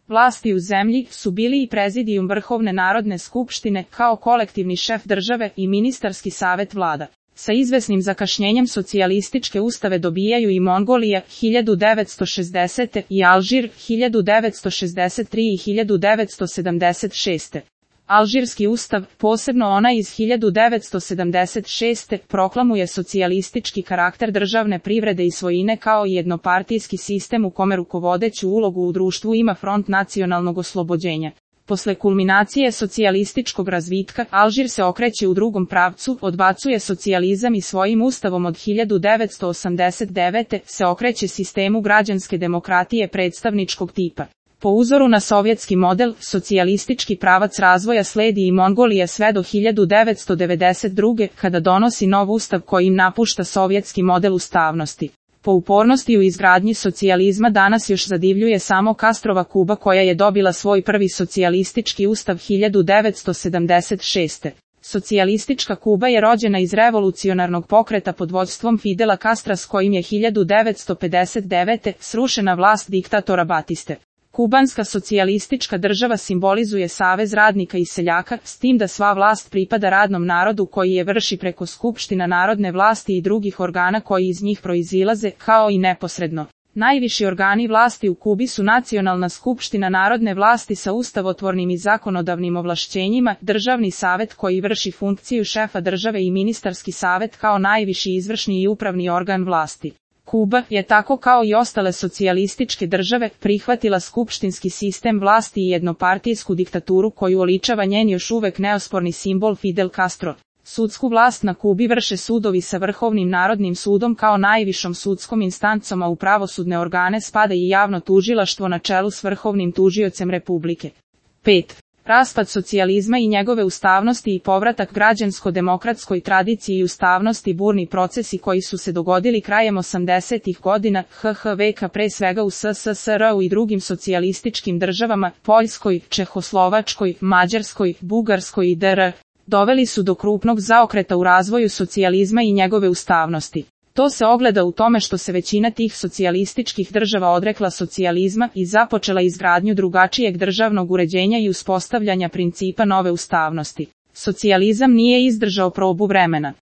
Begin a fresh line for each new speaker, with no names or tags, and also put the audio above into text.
vlasti u zemlji su bili i prezidijum Vrhovne narodne skupštine kao kolektivni šef države i ministarski savet vlada. Sa izvesnim zakašnjenjem socijalističke ustave dobijaju i Mongolija 1960. i Alžir 1963. i 1976. Alžirski ustav, posebno onaj iz 1976. proklamuje socijalistički karakter državne privrede i svojine kao i jednopartijski sistem u kome rukovodeću ulogu u društvu ima Front nacionalnog oslobođenja. Posle kulminacije socijalističkog razvitka, Alžir se okreće u drugom pravcu, odbacuje socijalizam i svojim ustavom od 1989. se okreće sistemu građanske demokratije predstavničkog tipa. Po uzoru na sovjetski model, socijalistički pravac razvoja sledi i Mongolija sve do 1992. kada donosi nov ustav koji im napušta sovjetski model ustavnosti. Po upornosti u izgradnji socijalizma danas još zadivljuje samo Castrova Kuba koja je dobila svoj prvi socijalistički ustav 1976. Socijalistička Kuba je rođena iz revolucionarnog pokreta pod vođstvom Fidela Castra s kojim je 1959. srušena vlast diktatora Batiste. Kubanska socijalistička država simbolizuje savez radnika i seljaka, s tim da sva vlast pripada radnom narodu koji je vrši preko skupština narodne vlasti i drugih organa koji iz njih proizilaze, kao i neposredno. Najviši organi vlasti u Kubi su Nacionalna skupština narodne vlasti sa ustavotvornim i zakonodavnim ovlašćenjima, Državni savet koji vrši funkciju šefa države i Ministarski savet kao najviši izvršni i upravni organ vlasti. Kuba je tako kao i ostale socijalističke države prihvatila skupštinski sistem vlasti i jednopartijsku diktaturu koju oličava njen još uvek neosporni simbol Fidel Castro. Sudsku vlast na Kubi vrše sudovi sa Vrhovnim narodnim sudom kao najvišom sudskom instancom, a u pravosudne organe spada i javno tužilaštvo na čelu s vrhovnim tužiocem Republike. 5. Raspad socijalizma i njegove ustavnosti i povratak građansko-demokratskoj tradiciji i ustavnosti, burni procesi koji su se dogodili krajem 80-ih godina veka pre svega u SSSR-u i drugim socijalističkim državama, Poljskoj, Čehoslovačkoj, Mađarskoj, Bugarskoj i dr. doveli su do krupnog zaokreta u razvoju socijalizma i njegove ustavnosti. To se ogleda u tome što se većina tih socijalističkih država odrekla socijalizma i započela izgradnju drugačijeg državnog uređenja i uspostavljanja principa nove ustavnosti. Socijalizam nije izdržao probu vremena.